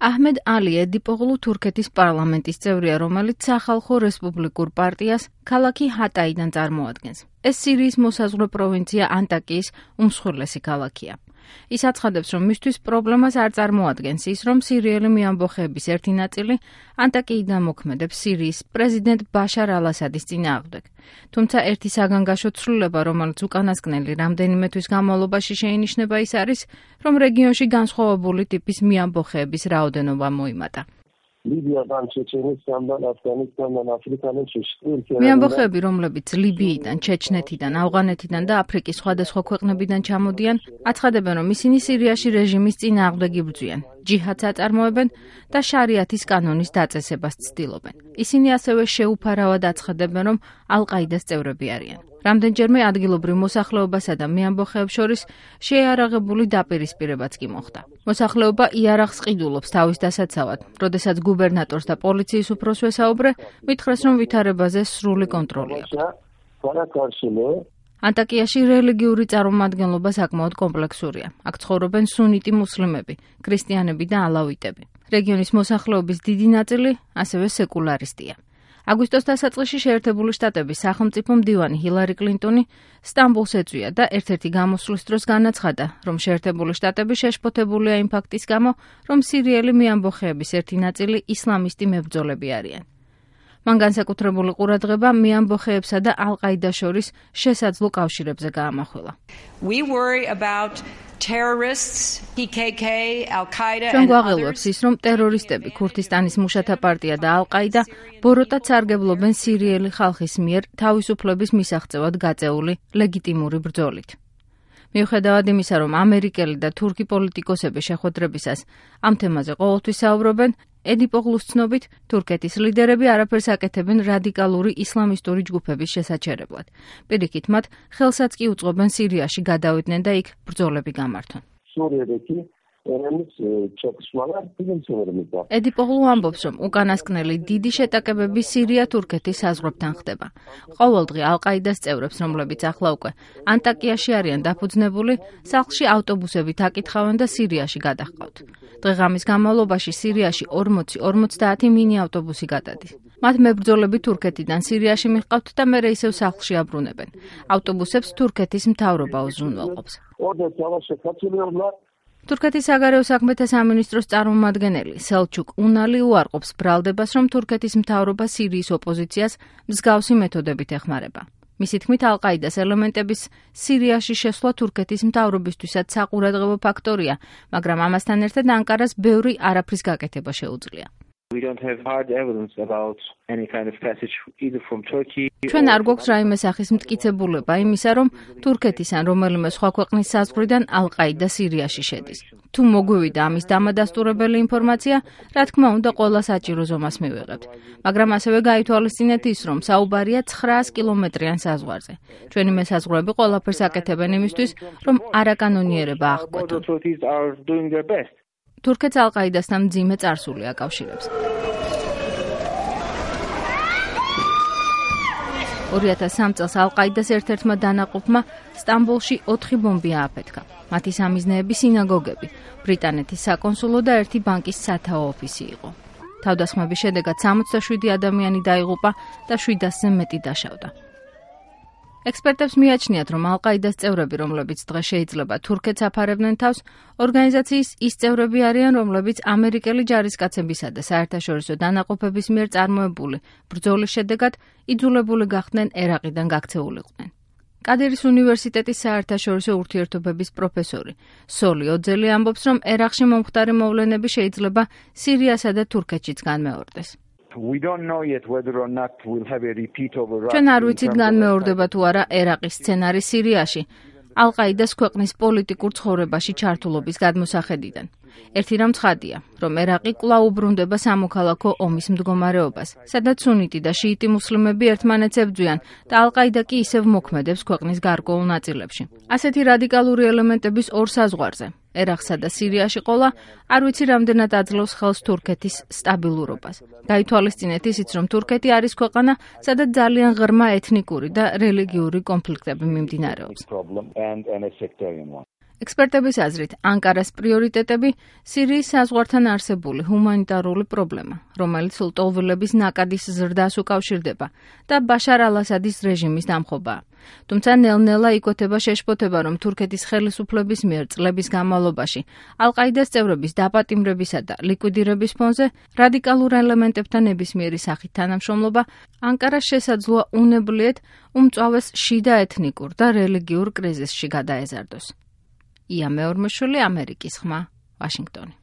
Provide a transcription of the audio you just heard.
აჰმედ ალი ედიპოღლუ თურქეთის პარლამენტის წევრია, რომელიც სახალხო რესპუბლიკურ პარტიას ქალაქი ჰატაიდან წარმოადგენს. ეს სირიის მოსაზღვრე პროვინცია ანტაკიის უმსხვილესი ქალაქია. ის აცხადებს, რომ მისთვის პრობლემას არ წარმოადგენს ის, რომ სირიელი მეამბოხეების ერთი ნაწილი ანტაკიიდან მოქმედებს სირიის პრეზიდენტ ბაშარ ალ-ასადის წინააღმდეგ. თუმცა ერთი საგანგაშო ცვლილება, რომელიც უკანასკნელი რამდენიმე თვის განმავლობაში შეინიშნება, ის არის, რომ რეგიონში განსხვავებული ტიპის მეამბოხეების რაოდენობა მოიმატა. მეამბოხეები, რომლებიც ლიბიიდან, ჩეჩნეთიდან, ავღანეთიდან და აფრიკის სხვადასხვა ქვეყნებიდან ჩამოდიან, აცხადებენ, რომ ისინი სირიაში რეჟიმის წინააღმდეგ იბრძვიან, ჯიჰადს აწარმოებენ და შარიათის კანონის დაწესებას ცდილობენ. ისინი ასევე შეუფარავად აცხადებენ, რომ ალ-ყაიდას წევრები არიან. რამდენჯერმე ადგილობრივ მოსახლეობასა და მეამბოხეებს შორის შეიარაღებული დაპირისპირებაც კი მოხდა. მოსახლეობა იარაღს ყიდულობს თავის დასაცავად, როდესაც გუბერნატორს და პოლიციის უფროსს ვესაუბრე, მითხრეს, რომ ვითარებაზე სრული კონტროლი აქვს. ანტაკიაში რელიგიური წარმომადგენლობა საკმაოდ კომპლექსურია. აქ ცხოვრობენ სუნიტი მუსლიმები, ქრისტიანები და ალავიტები. რეგიონის მოსახლეობის დიდი ნაწილი ასევე სეკულარისტია. აგვისტოს დასაწყისში შეერთებული შტატების სახელმწიფო მდივანი ჰილარი კლინტონი სტამბულს ეწვია და ერთ-ერთი გამოსვლის დროს განაცხადა, რომ შეერთებული შტატები შეშფოთებულია იმ ფაქტის გამო, რომ სირიელი მეამბოხეების ერთი ნაწილი ისლამისტი მებრძოლები არიან. მან განსაკუთრებული ყურადღება მეამბოხეებსა და ალ-ყაიდას შორის შესაძლო კავშირებზე გაამახვილა. ჩვენ გვაღელვებს ის, რომ ტერორისტები, ქურთისტანის მუშათა პარტია და ალ-ყაიდა ბოროტად სარგებლობენ სირიელი ხალხის მიერ თავისუფლების მისაღწევად გაწეული ლეგიტიმური ბრძოლით. მიუხედავად იმისა, რომ ამერიკელი და თურქი პოლიტიკოსები შეხვედრებისას ამ თემაზე ყოველთვის საუბრობენ, ედიპოღლუს ცნობით, თურქეთის ლიდერები არაფერს აკეთებენ რადიკალური ისლამისტური ჯგუფების შესაჩერებლად. პირიქით, მათ ხელსაც კი უწყობენ სირიაში გადავიდნენ და იქ ბრძოლები გამართონ. ედიპოღლუ ამბობს, რომ უკანასკნელი დიდი შეტაკებები სირია-თურქეთის საზღვრებთან ხდება. ყოველდღე ალ-ყაიდას წევრებს, რომლებიც ახლა უკვე ანტაკიაში არიან დაფუძნებული, სახლში ავტობუსებით აკითხავენ და სირიაში გადაჰყავთ. დღე-ღამის განმავლობაში სირიაში 40-50 მინი ავტობუსი გადადის. მათ მებრძოლები თურქეთიდან სირიაში მიჰყავთ და მერე ისევ სახლში აბრუნებენ. ავტობუსებს თურქეთის მთავრობა უზრუნველყოფს. თურქეთის საგარეო საქმეთა სამინისტროს წარმომადგენელი სელჩუკ უნალი უარყოფს ბრალდებას, რომ თურქეთის მთავრობა სირიის ოპოზიციას მსგავსი მეთოდებით ეხმარება. მისი თქმით, ალ-ყაიდას ელემენტების სირიაში შესვლა თურქეთის მთავრობისთვისაც საყურადღებო ფაქტორია, მაგრამ ამასთან ერთად ანკარას ბევრი არაფრის გაკეთება შეუძლია. ჩვენ არ გვაქვს რაიმე სახის მტკიცებულება იმისა, რომ თურქეთის ან რომელიმე სხვა ქვეყნის საზღვრიდან ალ-ყაიდა სირიაში შედის. თუ მოგვივიდა ამის დამადასტურებელი ინფორმაცია, რა თქმა უნდა, ყველა საჭირო ზომას მივიღებთ. მაგრამ ასევე გაითვალისწინეთ ის, რომ საუბარია 900 კილომეტრიან საზღვარზე. ჩვენი მესაზღვრეები ყველაფერს აკეთებენ იმისთვის, რომ არაკანონიერება აღკვეთონ. თურქეთს ალ-ყაიდასთან მძიმე წარსული აკავშირებს. 2003 წელს ალ-ყაიდას ერთ-ერთმა დანაყოფმა სტამბოლში 4 ბომბი ააფეთქა. მათი სამიზნეები სინაგოგები, ბრიტანეთის საკონსულო და ერთი ბანკის სათაო ოფისი იყო. თავდასხმების შედეგად 67 ადამიანი დაიღუპა და 700-ზე მეტი დაშავდა. ექსპერტებს მიაჩნიათ, რომ ალ-ყაიდას წევრები, რომლებიც დღეს შეიძლება თურქეთს აფარებდნენ თავს, ორგანიზაციის ის წევრები არიან, რომლებიც ამერიკელი ჯარისკაცებისა და საერთაშორისო დანაყოფების მიერ წარმოებული ბრძოლის შედეგად იძულებული გახდნენ ერაყიდან გაქცეულიყვნენ. კადირის უნივერსიტეტის საერთაშორისო ურთიერთობების პროფესორი სოლი ოძელი ამბობს, რომ ერაყში მომხდარი მოვლენები შეიძლება სირიასა და თურქეთშიც განმეორდეს. ჩვენ არ ვიცით განმეორდება თუ არა ერაყის სცენარი სირიაში, ალ-ყაიდას ქვეყნის პოლიტიკურ ცხოვრებაში ჩართულობის გადმოსახედიდან. ერთი რამ ცხადია, რომ ერაყი კვლავ უბრუნდება სამოქალაქო ომის მდგომარეობას, სადაც სუნიტი და შიიტი მუსლიმები ერთმანეთს ებრძვიან და ალ-ყაიდა კი ისევ მოქმედებს ქვეყნის გარკვეულ ნაწილებში. ასეთი რადიკალური ელემენტების ორ საზღვარზე, ერაყსა და სირიაში ყოლა, არ ვიცი რამდენად აძლევს ხელს თურქეთის სტაბილურობას. გაითვალისწინეთ ისიც, რომ თურქეთი არის ქვეყანა, სადაც ძალიან ღრმა ეთნიკური და რელიგიური კონფლიქტები მიმდინარეობს. ექსპერტების აზრით, ანკარას პრიორიტეტები სირიის საზღვართან არსებული ჰუმანიტარული პრობლემა, რომელიც ლტოლვილების ნაკადის ზრდას უკავშირდება და ბაშარ ალ-ასადის რეჟიმის დამხობაა. თუმცა ნელ-ნელა იკვეთება შეშფოთება, რომ თურქეთის ხელისუფლების მიერ წლების განმავლობაში ალ-ყაიდას წევრების დაპატიმრებისა და ლიკვიდირების ფონზე რადიკალურ ელემენტებთან ნებისმიერი სახით თანამშრომლობა ანკარას შესაძლოა უნებლიეთ უმწვავეს შიდა ეთნიკურ და რელიგიურ კრიზისში გადაეზარდოს. ია მეორმოშვილი, ამერიკის ხმა, ვაშინგტონი.